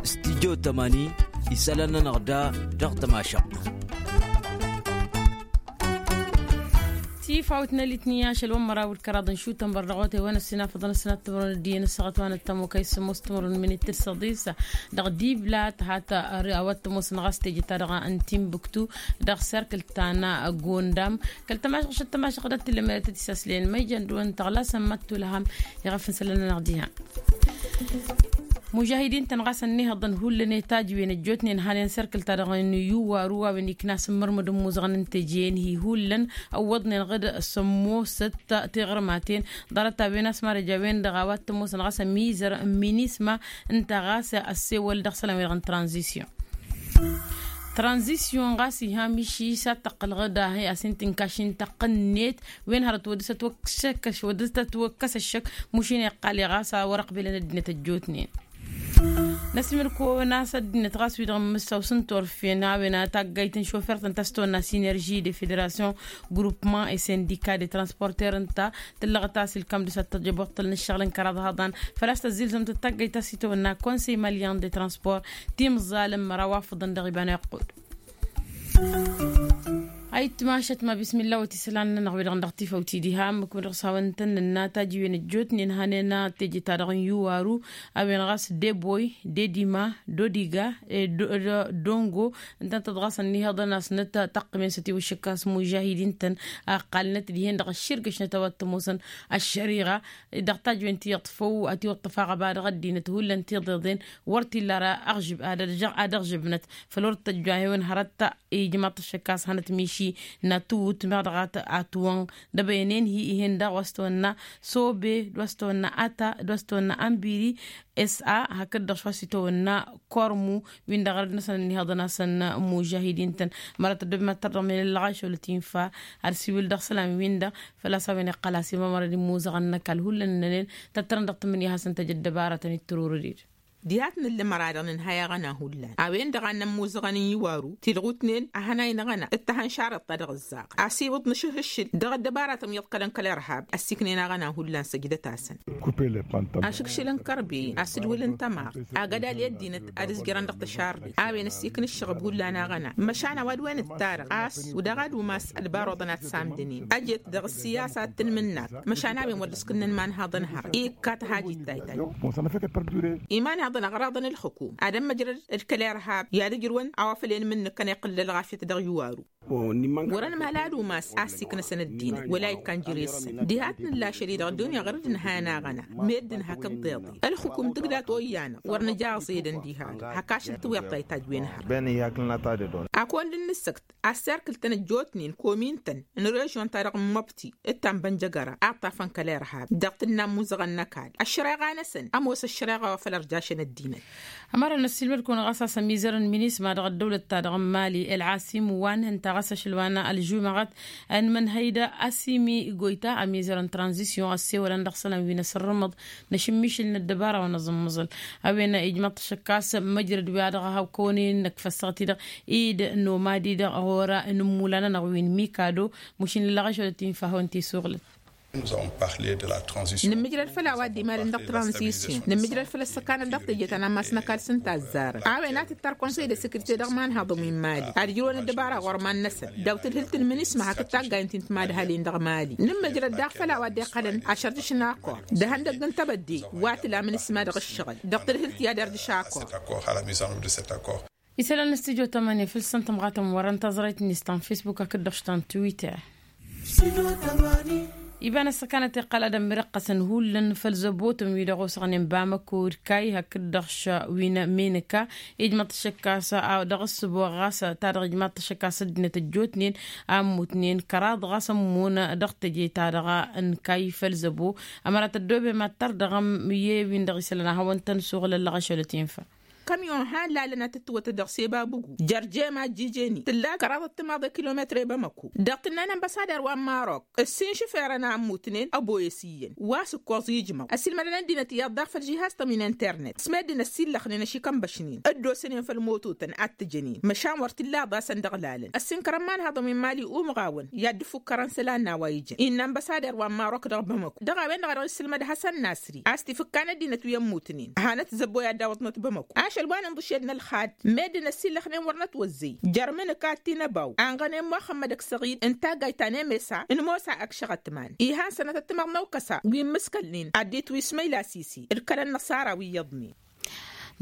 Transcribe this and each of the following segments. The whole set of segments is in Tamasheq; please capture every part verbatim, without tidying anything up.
Stidyo tămani isălan-nănăɣ da dăɣ-tămašăɣt. Tifawt n-alitni ašăl wăn măraw d-kăraḍ n-šutăn bărdăɣotay wăn ăssinafăḍăn ăssinat timărăn d-iyyăn ăssaɣăt wa n-ăttămokay s-sămoos timărăn minit d-săḍis dăɣ-diblat hat-ări a-wa t-ămoosăn ɣas teje-ta-dăɣ n-timbuktu dăɣ-serkǝl ta n-gondam. Kăl-tămašăɣ šăt tămašăɣ d-ăttillăm i-ad-tăt-isaslen ma ijăn d-wăn-tăɣlasăn măttulham iɣăf n-isălan-nănăɣ diha. Mužahidin-tăn ɣas ănnihăḍăn hullan i-tajǝwen ăjjootnen hanen serkǝl-ta-dăɣ n-iwwaru a-wen ikna s-ǝmmărmǝd n-imuzăɣăn n-teje-en-hi hullan ăwwăḍnen ɣǝd sămmosăt tiɣrǝmaten ḍarăt-a-wen a-s marăj a-wen-dăɣ a-wa t-ămoosăn ɣas ămizăr n-minisma ǝnta ɣas ăssewăl dăɣ-isălan-wi-dăɣ n-tranzisyon. Tranzisyon ɣas iha miši s-ad-tăqqǝl ɣǝd a hi-as-in-tǝnkaš intăqqǝnnet wen hărăt wăr dăr-s ătwăkk-s wăr dăr-s ătwăkkăs ăššăk. Mušin iqqal i-ɣas a wăr-ăqbelăn ăddinăt ăjjootnen. Năsmǝl-kăwăn a-s ăddinăt ɣas wi-dăɣ n-imǝssaw s-ǝnta orfen a-wen a taggayt n-šofert ǝnta a-s tăwănna sinerži de federasyon grupman et sindika de transporter ǝnta tǝllăɣăt a-s ilkam dăr-s ad-tăjăboṭṭăl n-ǝššăɣǝl n-kăraḍ hăḍan făl-a-s tăzzilzăm-tăt taggayt a-s itawănna konsey malyan de transport timẓal n-măraw afǝḍăn dăɣ-iba n-iqqud. Ayǝtmašăt ma bismillah wăt isălan-nănăɣ wi-dăɣ n-dăɣ tifăwt-i diha ǝmmǝk-wen-dăɣ s-hawăn-tăn nǝnna tajǝwen ăjjootnen hanen teje-ta-dăɣ n-iwaru a-wen ɣas deboy dedima dodiga dongo ǝntăntăt ɣas ănniheḍăn a-s nǝtăqqǝmen s-ătiwǝššǝk a-s mužahidin-tăn a ǝqqalnăt dihen dăɣ-ăšširgăšnăt a-wa t-ămoosăn ăššăriɣa dăɣ-tajǝwen ti iḍfăw ătiwăṭṭăf aɣăba dăɣ-ăddinăt hullan tiḍeḍen wăr t-illa ara aɣžǝb ad-ăžžăbnăt făl wăr t-tăjju a hi-wăn hărăt ijmaḍ-t ăššăk a-s hănăt miši n-ad-tǝwwǝt meɣ dăɣ-ad-tǝwwăn dăbăyăn-en-hi ih'-en daɣ wa s-tăwănna sobe d-wa s-tăwănna ata d-wa s-tăwănna ănbiri s-a hakd-dăɣ šwa s-itawănna kărmu win-dăɣ rădd-năsăn ănniheḍăn-asăn mužahidin-tăn. Mărăt ăddooben ad-tărdăɣ men ăllăɣ ašăl ătinfa ad-siwǝl dăɣ-isălan-win-dăɣ făl-a-s a-wen iqqăl a-s imamărăd imuzăɣăn n-ăkall hullan ǝnnănen tăttărăn dăɣ-tǝmmǝnǝya hasăn-tăj ăddăbarătăn ittururăd-dd. Diha t-nǝllǝmăr-a-dăɣ nǝnhay aɣăna hullan a-wen-dăɣ a n-ămmuzăɣăn n-iwaru tidɣutnen a hănay n-aɣăna d-tahănšarăḍt-ta-dăɣ ǝzzaɣăn a-s iwǝḍ nǝšǝhǝššǝl dăɣ-ăddăbarătăn iyyăḍ kăl-ănkăl irhab ăssiiknen aɣăna hullan săjdăt-asăn. Ašǝkšǝl n-kărben asǝdwǝl n-tămaɣt agădal i-ăddinăt ad-ǝzjărăn dăɣ-tăšardet a-wen ăssiikn ǝššăɣăb hullan aɣăna măšan a-wa d-wen ǝttarăɣ a-s wǝdăɣ ad-umas ălbaruḍăn ad-samdănen ăjet dăɣ-ăssiyasa d-tǝnmǝnnakt măšan a-wen wăr dd-ǝskǝnnăn imanhaḍăn hărăt ikka tăhajit taytay. Imanhaḍăn aɣraḍăn ǝlxǝkum ad-ămmăjrăd d-kăl-irhab i-ad-ǝjrǝwăn a-wa făl i-ănmǝnnǝkăn iqqǝl d-ălɣafyăt dăɣ-iwaru. Wăr-ănmăla ad-umas a ǝssiiknăsăn ăddinăt wăla ikkan jere-săn diha t-nǝllašăd-i-dăɣ ăddunya ɣur-dd nǝha n-aɣăna med d-nǝha kăḍḍeḍe ǝlxǝkum tǝgdat oyyănăɣ wăr nǝja aẓedăn diha-dăɣ hak ašăl tǝwweḍ tayta a dd-wen hărăt. Akăwăn dd-nǝssăkt asserkǝl-tăn ăjjootnen komin-tăn n-režyon-ta-dăɣ n-măbti d-ta n-bănjăgăra a ǝṭṭafăn kăl-irhab dăɣ-tǝnna n-imuzăɣăn n-ăkall ăššăreɣa-năsăn ămoos ăššăreɣa wa făl ărjašăn ăddinăt. Ămărăn ăssiilmăd-kăwăn ɣas a-s ămizăr n-minisma dăɣ-ăddăwlăt-ta-dăɣ n-mali ălɣasim wa n-hǝnta ɣas ašăl wa n-ălžumăɣăt n-imǝnhăy d-asimi goyta ămizăr n-tranzisyon ăssewălăn dăɣ-isălan wi n-asǝrrǝmăḍ n-ašǝmmišǝl n-ăddăbara wa n-aẓǝmmăẓǝl a-wen ijmaḍ-t ašăk a-s măjrăd wi-a-dăɣ a hawkăwăn-in n-ăkfăssăɣ-t-dăɣ id n-omad-i-dăɣ ɣur-a n-ǝmmula-nănăɣ wi n-mikado. Mušin ǝllăɣ ašăl ătinfa a hawăn-t-isuɣlăt. Nǝmmǝjrăd făll-a-wa dd-imalăn dăɣ-tranzisyon nǝmmǝjrăd făll-ăssăkanăt dăɣ-teje ta n-ammas n-ăkall s-ǝnta a ăzzarăn a-wen a tǝttar konsăy d-asekirite dăɣ-imanhaḍăn wi n-mali ad-ǝjrǝwăn ăddăbara ɣur-iman-năsăn daw-tǝdhǝlt n-minisma hakd taggayen ti n-timadhalin dăɣ-mali. Nǝmmǝjrăd daɣ făll-a-wa dd-iqqălăn ašărdǝš n-akor d-ihăndăgg n-tebădde wa tǝla minisma dăɣ-ǝššăɣǝl dăɣ-tǝdhǝlt i-ad-ărdǝš akor. Isălan n-studyo tămănăya făll-săn tămɣatăm wărăn taẓrayt-net ta n-facebook hakd-dăɣ ta n-twitter. Iba n-ăssăkanăt iqqăl ad-ămmirăqqăsăn hullan făll-zăbotăn wi-dăɣ osăɣnen bamăko d-kayy hakd-dăɣ wi n-menăka. Ijmăḍ-t ăššăk a-s dăɣ-ǝssǝbo ɣas ta dăɣ-ijmăḍ-t ăššăk a-s ăddinăt ăjjootnen a ămmutnen kăraḍ ɣas ămmun dăɣ-teje-ta-dăɣ n-kayy făll-zăbo. Ămărat ăddooben mad-tărdăɣăm i-wi-dăɣ isălan a hawăn-tăn-suɣǝl ăllăɣ ašăl ătinfa. Kămyon han lalăn ad-tǝttǝwătăt dăɣ-seba bǝgu jer-jema ăjjijeni tǝlla kăraḍăt timaḍe kilometre bamăko. Dăɣ-tǝnna n-ănbăsader wa n-marok ǝssin šǝferăn a ămmutnen ăboyăs iyyăn wa s-ǝkkoẓ ijmăw ăsilmădăn ăddinăt iyyăḍ daɣ făll-žihaz-tăn wi n-internet s-meddǝn ăssillăxnen ašikăn băšnen dd-osănen făll-mototăn ad-t-jănen măšan wăr t-illa ḍasăn dăɣ-lalăn. Ăssin kărămman haḍăn wi n-mali umɣawăn i-ad-dd-ǝffukkărăn isălan n-a-wa ijăn innă ănbăsader wa n-marok dăɣ-bamăko dăɣ-a-wen-dăɣ a dăɣ-issǝlmăd hasăn nasri a-s tifǝkka n-ăddinăt wi ămmutnen. Hanăt-zăbboy ad-dawăḍnăt bamăko ašăl wa n-inḍǝšed n-ălxad meddǝn ăssillăxnen wăr nătwăzzăy jer-imǝnǝka d-tinăbaw anɣănen muxămmăd ăksăɣid n-taggayt ta n-emesa n-mosa ăkšăɣătman ihan sănătăt timăḍ n-ăwkăsa wi n-imǝskălnen ad-dd-itwǝy ismăyla sisi d-kăl-ănnăṣara wi iyyăḍnen.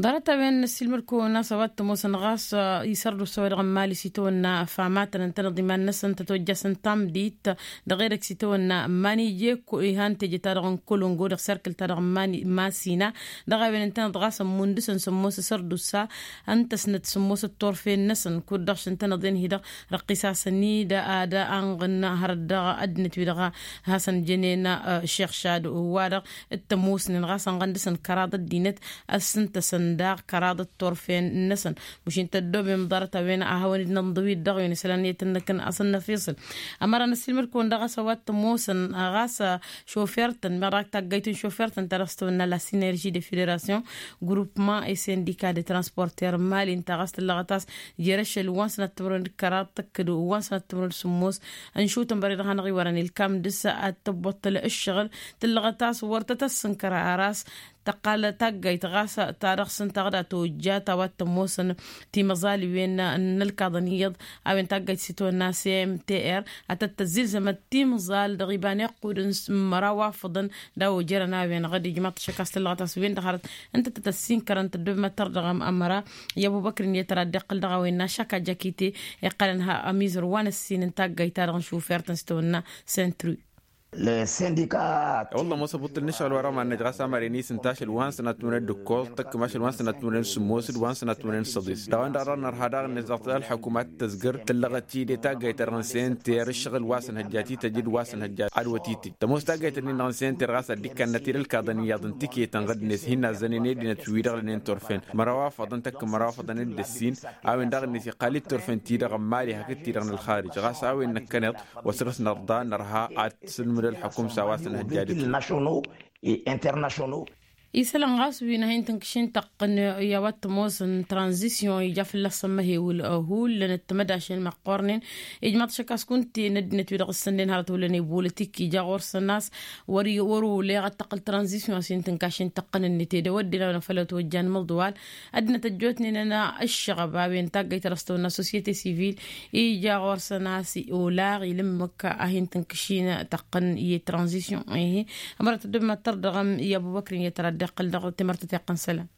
Ḍarăt-a-wen n-ăssiilmăd-kăwăn a-s a-wa t-ămoosăn ɣas isărdusa-wa-dăɣ n-imali s-itawănna famatăn ǝntăneḍ iman-năsăn tăt-ojjasăn tamdit dăɣ-edăgg s-itawănna n-imani ije-ko ihan teje-ta-dăɣ n-kolongo dăɣ-serkǝl-ta-dăɣ n-imani masina. Dăɣ-a-wen ǝntăneḍ ɣas ămmundǝsăn sămmos asărdusa ǝnta s-năt sămmos ăttorfen-năsăn kud-dăɣ šăn tănăḍen hi-dăɣ răqqisasăn-dd ad-anɣǝn hărăt dăɣ-ăddinăt-wi-dăɣ a hasăn-jănen šixšad wa-dăɣ t-ămoosnen ɣas ănɣăn dăɣ-săn kăraḍ ăddinăt ăssǝntăsăn daɣ kăraḍ ăttorfen-năsăn. Mušin tăddoben ḍarăt-a-wen a hawăn-dd-nănḍǝw-dd dăɣ-wen isălan i-tăn-năkăn asăn-năfiṣǝl ămăra n-ăssiilmăd-kăwăn dăɣ-a-s a-wa t-ămoosăn ɣas šofer-tăn meɣ dăɣ-taggayt n-šofer-tăn ta dăɣ-s tăwănna la sinerži de federasyon grupman s-indika de transporter n-mali ǝnta ɣas tǝllăɣăt a-s jer-ašăl wa n-sănat timǝrwen d-kăraḍ tăkkăd wa n-sănat timǝrwen d-sǝmmos. Ănšutăn băre-dăɣ hanăɣ-iwărăn ilkam dăɣ-s ad-tăbboṭṭăl ǝššăɣǝl tǝllăɣăt a-s wăr tăt-ăssǝnkăr ar a-s tăqqal taggayt ɣas ta dăɣ-săn taɣda tojjat a-wa t-ămoosăn timăẓaliwen n-ălkaḍăn iyyăḍ a-wen taggayt s-itwănna cmtr ad-tăt-tăzzilzămăt timẓal dăɣ-iba n-iqqudăn măraw afǝḍăn. D-a-wa ojărăn a-wen ɣǝd ijmaḍ-t ašăk a-s tǝllăɣăt a-s wen-dăɣ hărăt ǝnta tăt-ăssinkărăn tăddob măttăr dăɣ-ămăra i-ăbubăkr n-iyyăt ăra dd-iqqǝl dăɣ-a-wen n-ašăk ajjăkite iqqălăn ha ămizăr wa n-ăssin n-taggayt-ta-dăɣ n-šufert n-s tăwănna sentru. Wălla ămoos ăbuṭṭǝl n-ašăɣǝl wa rămannăj ɣas amăren isǝnta ašăl wa n-sănat timǝrwen d-ǝkkoẓ tăkkăm ašăl wa n-sănat timǝrwen d-sǝmmosăd wa n-sănat timǝrwen d-săḍis dăɣ-a-wen-dăɣ dăɣ-nărha daɣ-net dăɣ-tălxăkum ad-t-tăzgăr tǝllăɣăt-i d-taggayt-ta-dăɣ n-senter ǝššăɣǝl wa s-ănhăjja tităj d-wa s-ănhăjja adwăt itǝj tămoos taggayt-nin-dăɣ n-senter ɣas ad-dd-ikkănnăt-dd ǝlkaḍăn iyyăḍ n-tiketăn ɣǝdnet hin-azzănen edinăt wi-dăɣ lănen turfen măraw afăḍăn tăkk măraw afăḍăn d-ǝssin. A-wen daɣ-net iqqal-dd turfen-ti-dăɣ n-mali hakd ti-dăɣ n-ălxarij ɣas a-wen năkkăneḍ wa săr-s nărḍa nărha ad-t-sǝlmǝd ălxukum s-a-wa s-ănhăjja d-internationaux. Isălan ɣas wi n-ahin tǝnkǝšin tăqqǝn i-a-wa t-ămoosăn tranzisyon ija fălla-săn măhewǝl hullan d-timădašen măqqornen. Ijmaḍ-t ašăk a-s kunta n-ăddinăt wi dăɣ-s sănnen hărăt hullan i-bolătik ija ɣur-săn a-s wăr-oleɣ ad-tăqqǝl tranzisyon a-s hin-tǝnkašin tăqqǝn-net edăw ăddin a-wen a făl ătwăjjan măḍwal. Ăddinăt ăjjootnen ănna ǝššăɣăb a-wen taggăyt răstăwăn n-assosyete sivil ija ɣur-săn a-s olaɣ ila ǝmmǝk a hin-tǝnkǝšin tăqqǝn i-tranzisyon. Ehe. Ămărăt ăddămmăt tărdăɣăm i-ăbubăkr n-iyyăt ara dd-iqqǝl dăɣ-temărtăt iqqăn isălan.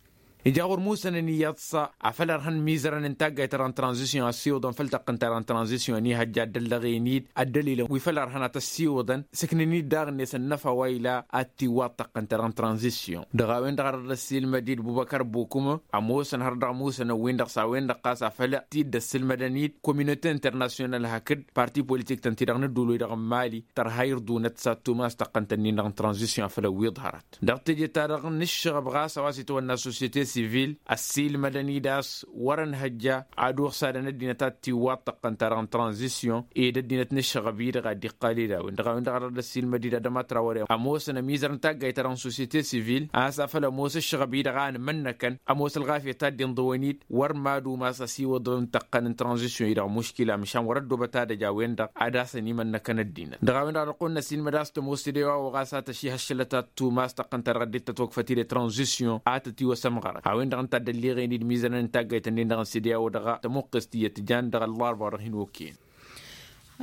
Ija ɣur-musănăn iyyăḍ s-afăl ărhăn mizărăn n-taggayt ara n-tranzisyon ăssiwǝḍăn făll-tăqqǝnt ara n-tranzisyon ihăjja ăddăllăɣen-dd ăddălilăn wi făll-ărhăn ad-t-ăssiwǝḍăn. Sǝknăn-dd daɣ-net ănnăfa wa ila ad-t-iwwaḍ tăqqǝnt ara n-tranzisyon dăɣ-a-wen-dăɣ a dăr-dd-ăssiilmăd-dd bubăkăr bukǝmă ămoosăn har dăɣ-musănăn-win-dăɣ s-a-wen-dăɣ ɣas afăl t-dd-ăssǝlmădăn-dd kominote internasyonal hakd parti politik-tăn-ti-dăɣ n-ădduul-wi-dăɣ n-mali tărha irḍunăt s-ad-tumas tăqqǝnt-ǝnnin-dăɣ n-tranzisyon făll-ăwwiḍ hărăt dăɣ-teje-ta-dăɣ n-ǝššăɣăb ɣas a-wa s-itwănna societe sivil ăssiilmădăn-dd a-s wăr-ănhăjja ad-uɣsadăn ăddinăt ad-tiwwaḍ tăqqǝnt-ta-dăɣ n-tranzisyon ed ăddinăt n-ǝššăɣăb-i-dăɣ a dd-iqqal-dd a-wen-dăɣ a-wen-dăɣ a dăr-dd-ăssiilmăd-dd adăma trawăre ămoosăn ămizăr n-taggayt-ta-dăɣ n-societe sivil a-s afăl ămoos ǝššăɣăb-i-dăɣ a ănmănnăkăn ămoos ălɣafyăt a dd-inḍăwăn-dd wăr mad-umas ăsiwǝḍăn tăqqăn n-tranzisyon-i-dăɣ muškila măšan wăr-ăddoobăt ad-ăj a-wen-dăɣ ad-asăn imănnăkăn ăddinăt dăɣ-a-wen-dăɣ a dăɣ-kăwăn-năsiilmăd a-s tămoos tedewa wa ɣas a tăšihăššălăt ad-tumas tăqqăn-ta-dăɣ dd-tătwăkfăt-dd tranzisyon a tătiwăsămɣărăt a-wen-dăɣ ǝnta a dd-ălliɣen-dd mizănăn n-taggayt-nin-dăɣ n-sede a-wa dăɣ-tămuqqest iyyăt jan dăɣ-ăllarba wa dăɣ-hin-okăyăn.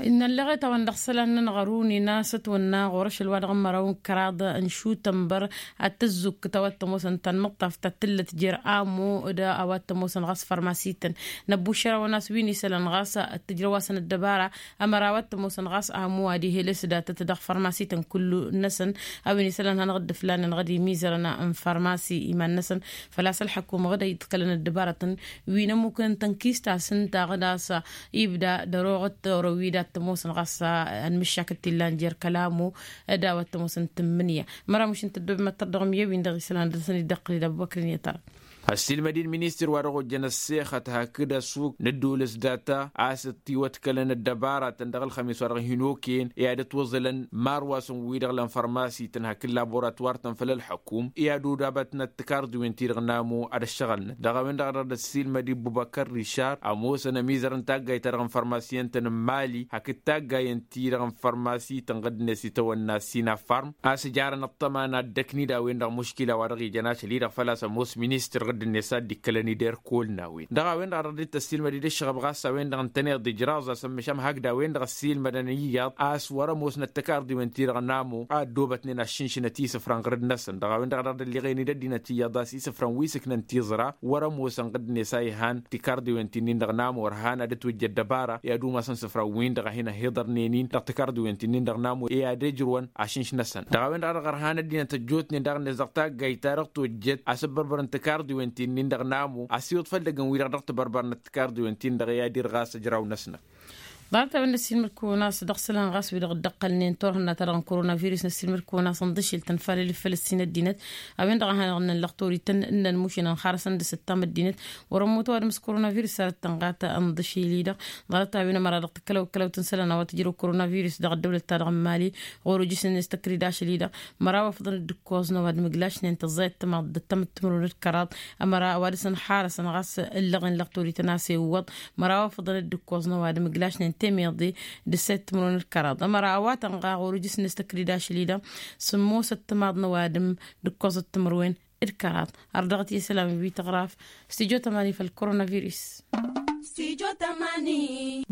Innă ălleɣet a-wen-dăɣ isălan-nănăɣ ăruni n-a-s ătwănna ɣur-ašăl wa dăɣ-măraw n-kăraḍ n-šutănbăr ad-tăzzukǝt a-wa t-ămoosăn tanmǝṭṭaft ta t-tǝllăt jer-amo d-a-wa t-ămoosăn ɣas fărmasităn. Năbbušărăwăn a-s wi n-isălan ɣas ăttǝjrăw-asăn ăddăbara ămăra a-wa t-ămoosăn ɣas amo ad-ihelăs datăt dăɣ-fărmasităn kullu-năsăn. A-wen isălan hanăɣ-dd-ǝflanăn ɣad imizărăn n-fărmasi iman-năsăn făl-a-s ălḥăkum ɣad a iḍkălăn ăddăbarătăn wi n-ămmukăn tănkist a-s ǝnta ɣad a-s ibda dăr-oɣăt orăw-wi dat-tămoosăn ɣas ănmǝššakăt t-illan jer-kălamo d-a-wa t-ămoosăn tǝmmǝnǝya. Măramuš n-tăddob măttăr dăɣ-miyăwin dăɣ-isălan dăr-săn-dd-ăqqǝl-dd ăbubăkr n-iyyăt ara. Ăssiilmăd-in ministăr wa dăɣ-ojjăn ăssexăt hakd ăssuk n-ădduul s-data a-s ăttiwătkălăn ăddăbaratăn dăɣ-ălxămis wa dăɣ-hin-okăyăn i-ad-ătwăẓǝlăn marwasăn-wi-dăɣ lăn fărmasităn hakd laboratwar-tăn făll-ălḥăkum i-ad-udabătnăt tikarḍiwen-ti-dăɣ n-amo ad-ăššăɣălnăt dăɣ-a-wen-dăɣ a dăɣ-dd-ăssiilmăd i-ăbubăkăr rišar ămoosăn ămizăr n-taggayt-ta-dăɣ n-fărmasiyăn-tăn n-mali hakd taggayăn-ti-dăɣ n-fărmasităn ɣǝddǝnet itawănna sinafarm a-s ǝjarăn ăṭṭăma n-ad-dd-ăknid a-wen-dăɣ muškila wa dăɣ-ijăn ašăl-i-dăɣ făl-a-s ămoos ministăr ɣǝddǝnet a dd-ikkălăn-dd erkol n-a-wen dăɣ-a-wen-dăɣ a dăɣ-dd-tăssiilmăd-dd ǝššăɣăb ɣas a-wen-dăɣ ǝntăneḍ ijraẓ a-s ămmăšam hakd a-wen-dăɣ ăssiilmădăn iyyăḍ a-s wăr-ămoosnăt tăkarḍiwen-ti-dăɣ n-amo a ăddoobătnen aššǝnšǝnăt isǝfran ɣǝrǝd-năsăn dăɣ-a-wen-dăɣ a dăɣ-dd-ălliɣen-dd ăddinăt iyyăḍ a-s isǝfran wi s-ǝknăn tiẓra wăr-ămoosăn ɣǝddǝnet a ihan tikaṛḍiwen ti-nin-dăɣ n-amur han ad-ătwǝjj ăddăbara i-ad-umasăn isǝfran-win-dăɣ a hin-ăhiḍărnen-in dăɣ-tikaṛḍiwen ti-nin-dăɣ n-amur i-ad-ǝjrǝwăn ašǝnš-năsăn dăɣ-a-wen-dăɣ a dăɣ-ărhan ăddinăt ăjjootnen daɣ-net dăɣ-taggayt-ta-dăɣ tojjăt a-s ăbbărbărăn tikaṛḍiwen ti-nin-dăɣ n-amur a-s iwǝḍ făll-edăgg n-wi-dăɣ dăɣ-tibărbăr n-tikaṛḍiwen-tin-dăɣ i-ad-irɣas ǝjraw-năsnăk. Ḍarăt-a-wen năssiilmăd-kăwăn a-s dăɣ-isălan ɣas wi-dăɣ dd-ăqqălnen turhǝnna-ta-dăɣ n-koronavirus năssiilmăd-kăwăn a-s ǝnḍǝšil tănfalăl i-făl ǝssin ăddinăt a-wen-dăɣ a hanăɣ-ǝnnăn lăxtor-ităn ǝnnăn mušǝnăn xarăsăn d-asǝttam ăddinăt wăr-ămmut ăwadǝm s-koronavirus sarăt tănɣa ta ǝnḍǝšil-i-dăɣ. Ḍarăt-a-wen ămăra dăɣ-tǝkkălăw ǝkkălăw-tăn isălan a-wa tǝjrăw koronavirus dăɣ-ăddăwlăt-ta-dăɣ n-mali ɣur-ujǝs-net tăkrǝd ašăl-i-dăɣ măraw afḍăn d-ǝkkoẓ n-ăwadǝm ǝglašnen tăẓẓayăt timaḍ d-ăttămăt timǝrwen d-kăraḍ. Ămăra ăwadǝm s-ănxarăsăn ɣas ǝllăɣen lăɣturităn a-s iwwăḍ măraw afḍăn d-ǝkkoẓ n-ăwadǝm ǝglašnen temeḍe d-ǝssayăt timǝrwen d-kăraḍ ămăra ăwa tănɣa ɣur-ujǝs-net tăkrǝd ašăl-i-dăɣ sǝmmosăt timaḍ n-ăwadǝm d-ǝkkoẓăt timǝrwen d-kăraḍ. Ărdăɣăt i-isălan wi tăɣraf stujo tămani făll-koronavirus.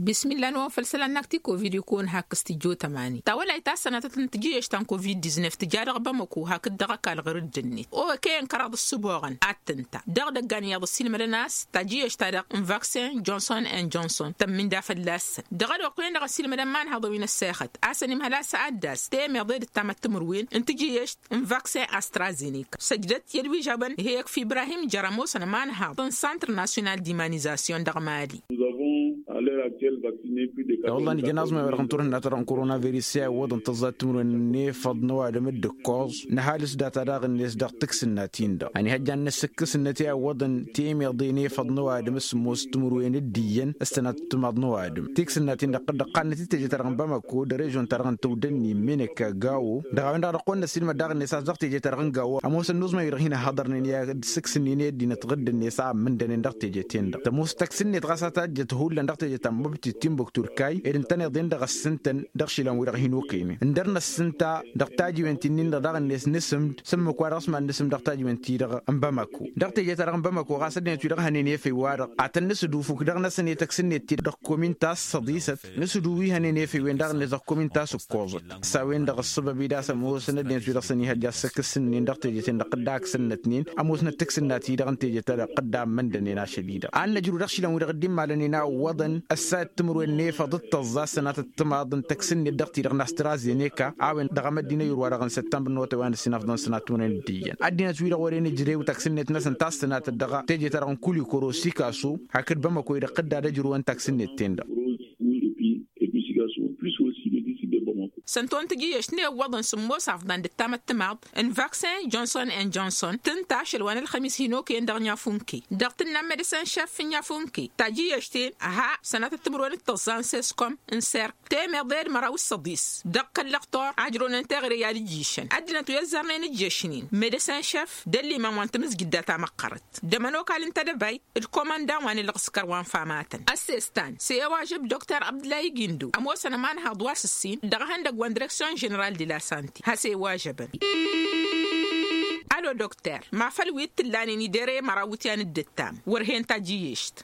Bismillah n-wăn făll-isălan n-ak ti-covid-i kăwăn hak stujo tămani tawălayt ta s-sănatăt n-tijǝyyăš ta n-covid-diznef tǝja dăɣ-bamăko hakd dăɣ-ăkall ɣur-dd-net okăyăn kăraḍ ǝssǝboɣăn ad-tǝnta dăɣ-idăggan iyyăḍ ăssiilmădăn a-s tajǝyyăš-ta-dăɣ n-vaksin johnson and johnson tămmǝnda fălla-săn dăɣ-ălwăqq-wen-dăɣ ăssiilmădăn imanhăḍăn wi n-ăssexăt a-s ănimhăl a-s ad-dd-as temeḍe d-ǝttamăt timǝrwen n-tijǝyyăš n-vaksin astrazenek săjdăt i-ălwižabăn iheyăk f-ibrahim jer-ămoosăn ămanhaḍ n-santr nasyonal d'imanizasyon dăɣ-mali. Iwăḍăn ijăn aẓmay wa dăɣ-n turhǝnna-ta-dăɣ n-koronavirus i-a iwwăḍăn tăẓẓa timǝrwen n-efăḍ n-ăwadǝm d-ǝkkoẓ n-ăhalǝs data daɣ-net dăɣ-tǝksǝnnatin-dăɣ ăniihăjjan n-asǝkkǝs n-ătiwăḍăn temeḍe n-efăḍ n-ăwadǝm s-sǝmmos timǝrwen d-iyyăn s-tănat timaḍ n-ăwadǝm tiksǝnnatin-dăɣ dd-ăqqannăt i-teje-ta-dăɣ n-bamako d-režon-ta-dăɣ n-tawdănni meneka gawo dăɣ-a-wen-dăɣ dăɣ-kăwăn-năssiilmăd daɣ-net a-s dăɣ-teje-ta-dăɣ n-gawo ămoosăn n-uẓmay wi-dăɣ hin-ăhhăḍărnen i-ad-sǝksǝnnen i-ăddinăt ɣǝddǝnet a ămmǝndănen dăɣ-teje-ten-dăɣ tămoos taksǝnnet ɣas a tajjăt hullan dăɣ-teje ta n-măbtit timbuktu d-kayy ed ǝntăneḍ-en-dăɣ ăssǝntăn dăɣ-išilan-wi-dăɣ hin-okăynen ǝndăr năssǝnta dăɣ-tajiwen ti-nin-dăɣ daɣ-net nǝsǝmd s-ǝmmǝk wa dăɣ-s mad-nǝsǝm dăɣ-tajiwen-ti-dăɣ n-bamako dăɣ-teje-ta-dăɣ n-bamako ɣas ăddinăt wi-dăɣ hănen efăy-wa-dăɣ ad-tăn-nǝsǝdufǝk dăɣ-năsăn i-tăksǝnnet-ti dăɣ-komin ta s-săḍisăt nǝsǝdu wi hănen efăy-wen daɣ-net dăɣ-komin ta s-ǝkkoẓăt s-a-wen-dăɣ ǝssăbăb-i d-a-s ămoosăn ăddinăt wi dăɣ-săn ihăjja s-akǝssǝnnen dăɣ-teje-ten-dăɣ dd-aksǝnnătnen ămoosnăt taksǝnna-ti-dăɣ n-teje-ta-dăɣ dd-ammăndănen ašăl-i-dăɣ ad-năjru dăɣ-išilan wi-dăɣ dd-immalănen a ǝwwăḍăn ăssayăt timǝrwen n-efăḍ d-tăẓẓa s-sănatăt timaḍ n-taksǝnnet dăɣ-ti-dăɣ n-astrazeneka a-wen dăɣ-emăddin ayǝr wa-dăɣ n-săttămbăr n-otăwăn d-sinăfḍăn sănat timǝrwen d-iyyăn ăddinăt wi-dăɣ wăren ǝjrew taksǝnnet-năsăn ta s-tănatăt dăɣ-teje-ta-dăɣ n-kulikoro sikaso hakd bamăko-i-dăɣ dd-ad-ǝjrǝwăn taksǝnnet-ten-dăɣ. Săn-t-wăn tǝjǝyyăš n-e ǝwwăḍăn sǝmmos afḍăn d-ǝttamăt timaḍ n-vaksin johnson and johnson tǝnta ašăl wa n-ălxămis hin-okăyăn dăɣ-nyafunke dăɣ-tǝnna n-medăsen šef n-nyafunke tajǝyyăš-ten ha sănatăt timǝrwen d-tăẓẓa n-seskom n-serk temeḍe d-măraw d-săḍis dăɣ-kăl-lăqtor a ǝjrăwnen teɣăre i-ad-ǝjjǝšăn ăddinăt wi ăzzărnen ǝjjăšnen medăsen šef d-ăllimam wa n-tamǝzjǝdda tamăqqărăt d-ămănokal n-tedăbayt d-komandan wa n-ǝlɣǝskăr wa n-famatăn ăssestan s-e-iwažăb doktor abdǝllahi gindo ămoosăn ămanhaḍ wa s-ǝssin dăɣ-ehăndăgg wa n-direksyon ženeral de la sante has-e-iwažăbăn. Alo doktor ma făl wi t-ǝllanen idere măraw wǝtyan d-ǝttam wăr hen tajǝyyešt.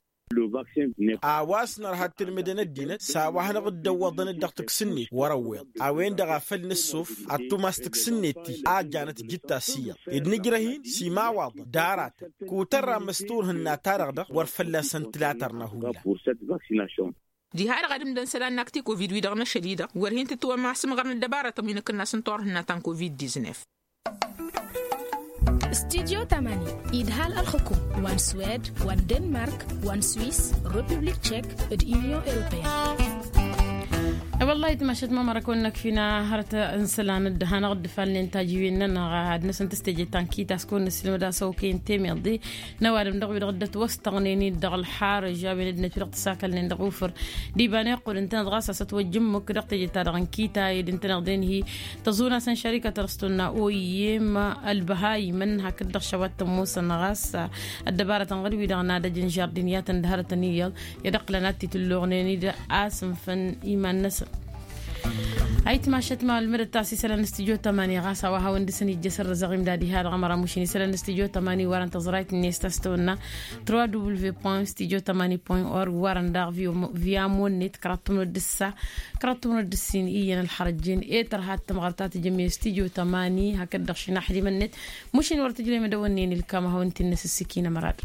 A-wa s-nărha d-tilmǝdăn ăddinăt s-a-wa hanăɣ-dd-ăwwăḍăn-dd dăɣ-taksǝnnet wăr-ăwweḍ a-wen-dăɣ a făl nǝssuf ad-tumas taksǝnnet-i a ăjjanăt jǝtta s-iyyăḍ ed nǝjrăh-in s-imawwaḍăn kutărra măsturhǝnna-ta-dăɣ-dăɣ wăr fălla-săn tǝlatărna hullan. Diha-dăɣ ad-ǝmdăn isălan n-akti covid-wi-dăɣ n-ašăl-i-dăɣ wăr hin-tǝtwămasǝmɣărnăt dăbaratăn wi n-akǝnnas n-turhǝnna ta n-covid-diznef. Studyo tamani idhal ălxukum wa n-swed wa n-denmark wa n-swis, republik tchek, d-unyon europeyăn. E-wălla-hi tmašăt ma mărăkăwăn-năkfina hărăt n-isălan d-hanăɣ-dd-falnen tajǝwen-nănăɣ ad-năsăn tăstejed ta n-kita s-kăwăn-năssilmăd a-s okăyăn temeḍe n-ăwadǝm dăɣ-wi-dăɣ dd-ătwăstăɣnen-dd dăɣ-ălxarǝž a-wen ăddinăt wi-dăɣ tǝsakălnen dăɣ-ufǝr d-iba n-iqqud ǝntăneḍ ɣas a-s ătwăjjǝmmǝk dăɣ-teje-ta-dăɣ n-kita ed ǝntăneḍ-en-hi tăẓun-asăn šărikăt ărstonna oyem ălbăhayimăn hakd-dăɣ šăwat tămmusăn ɣas ăddăbarătăn ɣǝd-wi-dăɣ n-adăj n-žardin i-ad-tăn-dd-hărătăn iyyăḍ i-ad-ăqqǝlăn ad-t-itǝlluɣnen-dd a-s ǝnfăn iman-năsăn. Ayǝtmašăt ma ǝlmǝdăt a-s isălan n-studyo tămani ɣas a-wa hawăn-dăɣ-săn ijjăsăn rǝzăɣ imdad iha dăɣ-ămăra mušin isălan n-studyo tămani warăn tăẓrayt-net ta s-tăwănna trois w point studyo tămani point org warăn daɣ via monnet kăraḍ timǝrǝd d-ǝssa kăraḍ timǝrǝd d-ǝssin iyyăn ălxărăjjen i-tărha d-tămɣărt ta tǝjǝmme studyo tămani hakd-dăɣ šinaxdimăn-net. Mušin wăr tǝjlem d-ăwănnen ilkam a hawăn-t-innăs ǝssikina mărad.